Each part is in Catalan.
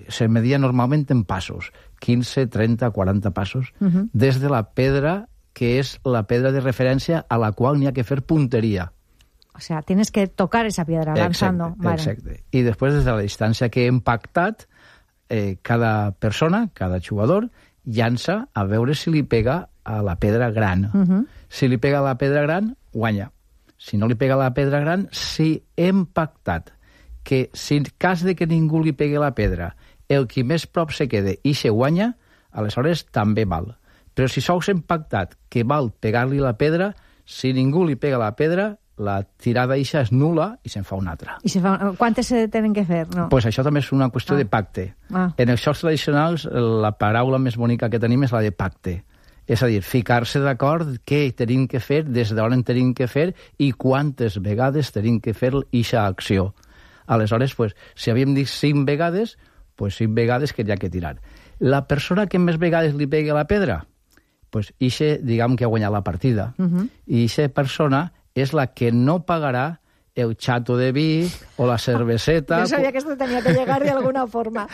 se media normalment en passos, 15, 30, 40 passos, des de la pedra que és la pedra de referència a la qual n'hi ha que fer punteria. O sea, tienes que tocar esa piedra lanzando. Exacte. I després, des de la distància que hem pactat, cada persona, cada jugador, llança a veure si li pega a la pedra gran. Si li pega a la pedra gran, guanya. Si no li pega a la pedra gran, si hem pactat que si en cas de que ningú li pegui la pedra, el qui més prop se quede i se guanya, aleshores també val. Però si sols hem pactat que val pegar-li la pedra, si ningú li pega la pedra, la tirada eixa és nul·la i se'n fa una altra. Quantes se tenen que fer? No? Pues això també és una qüestió de pacte. En els jocs tradicionals, la paraula més bonica que tenim és la de pacte. És a dir, ficar-se d'acord què tenim que fer, des d'on tenim que fer i quantes vegades tenim que fer eixa acció. Aleshores, pues, si havíem dit 5 vegades, pues 5 vegades que hi ha que tirar. La persona que més vegades li pegui a la pedra, pues eixa, diguem que ha guanyat la partida. I eixa persona és la que no pagarà el xato de vi o la cerveseta. Yo sabía que esto tenía que llegar de alguna forma.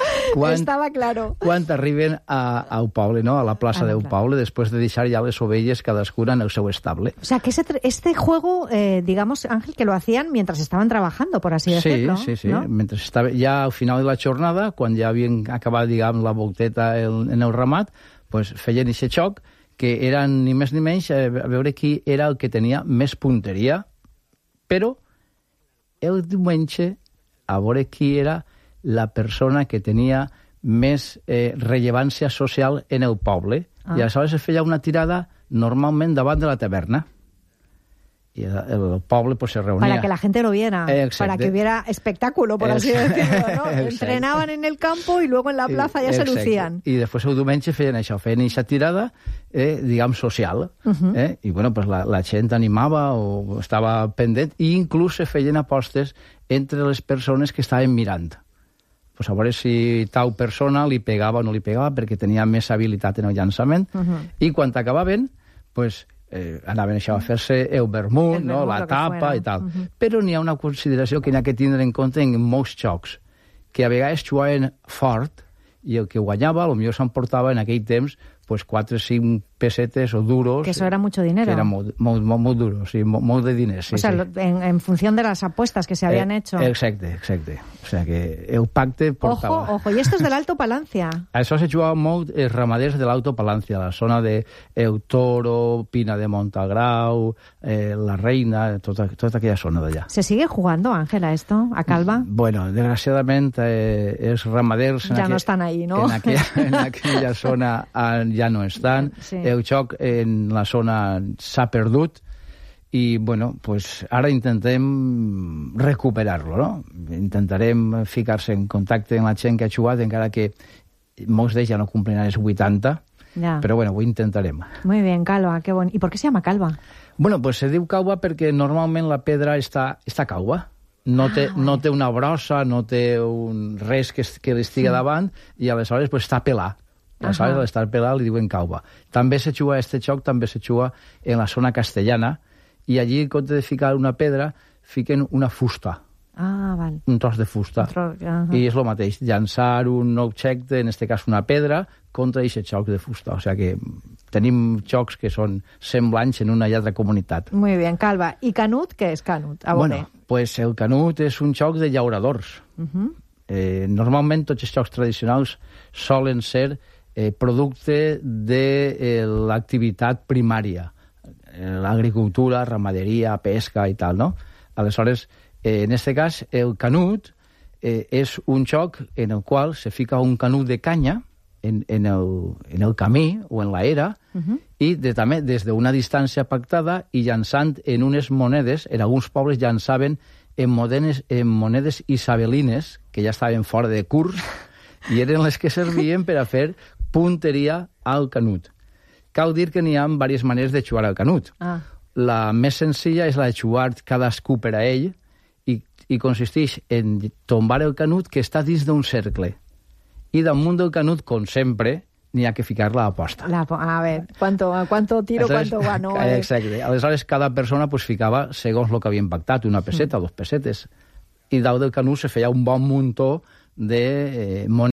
Estaba claro. Quan arriben al poble, no? A la plaça del poble, després de deixar ja les ovelles cadascuna en el seu estable. O sea, que este juego, digamos, Ángel, que lo hacían mientras estaban trabajando, por así decirlo. Sí. ¿no? Mentre estava ja al final de la jornada, quan ja havien acabat, diguem, la volteta en el ramat, pues feien aquest xoc que eren ni més ni menys a veure qui era el que tenia més punteria, però el diumenge a veure qui era la persona que tenia més rellevància social en el poble. I aleshores es feia una tirada normalment davant de la taverna. Y el poble pues se reunía. Para que la gente lo viera, para que hubiera espectáculo, por así decirlo, ¿no? Entrenaban en el campo y luego en la plaza ya se lucían. I després el diumenge feien això, feien aquesta tirada, diguem, social. I bueno, pues la gent animava o estava pendent, i inclús se feien apostes entre les persones que estaven mirant. Pues a veure si tal persona li pegava o no li pegava, perquè tenia més habilitat en el llançament, i quan acabaven, pues anaven això a fer-se el vermut, no? La tapa i tal. Però n'hi ha una consideració que n'hi ha que tindre en compte en molts jocs, que a vegades jugaven fort i el que guanyava, potser s'emportava en aquell temps pues 4 o 5 pesetes o duros. Que eso era mucho dinero. Que era molt duro, sí, molt de diners. Sí, o sea, en función de las apuestas que se habían hecho. Exacte. O sea, que el pacte portava... Ojo, i esto és de l'Alto Palancia. Això se jugava molt els ramaders de l'Alto Palancia, la zona de El Toro, Pina de Montagrau, La Reina, tota aquella zona d'allà. ¿Se sigue jugando, Ángela, esto, a Calva? Bueno, desgraciadament, els ramaders... Ja no estan ahí, ¿no? En aquella zona ja no estan. Sí. El joc en la zona s'ha perdut i, bueno, pues ara intentem recuperar-lo, no? Intentarem ficar-se en contacte amb la gent que ha jugat, encara que molts d'ells ja no compliran els 80, però, bueno, ho intentarem. Muy bien, Calva, qué bon. ¿Y por qué se llama Calva? Bueno, pues se diu calva perquè normalment la pedra està calva. No té una brossa, no té res que li estigui davant, i aleshores pues, està pelat. Aleshores, a l'estar pelat li diuen calva. També se juga, este joc també se juga en la zona castellana, i allí, en compte de ficar una pedra, fiquen una fusta. Val. Un tros de fusta. I és el mateix, llançar un objecte, en este cas una pedra, contra aquest joc de fusta. O sigui que tenim jocs que són semblants en una i altra comunitat. Muy bien, Calva. I Canut, què és Canut? Bueno, pues el Canut és un joc de llauradors. Normalment tots els jocs tradicionals solen ser producte de l'activitat primària, l'agricultura, ramaderia, pesca i tal, no? Aleshores, en aquest cas, el Canut és un joc en el qual se fica un canut de canya en el camí o en l'era, i també des d'una distància pactada i llançant en unes monedes, en alguns pobles llançaven en monedes isabelines, que ja estaven fora de curs, i eren les que servien per a fer punteria al Canut. Cal dir que n'hi ha diverses maneres de jugar al Canut. La més senzilla és la de jugar cadascú per a ell, i consisteix en tombar el Canut que està dins d'un cercle. I damunt del Canut, com sempre, n'hi ha que ficar la aposta. A ver, ¿cuánto tiro, cuánto gano? Exacte. Aleshores, cada persona pues, ficava segons el que havien pactat, una peseta o 2 pesetes. I dalt del Canut se feia un bon muntó de monedes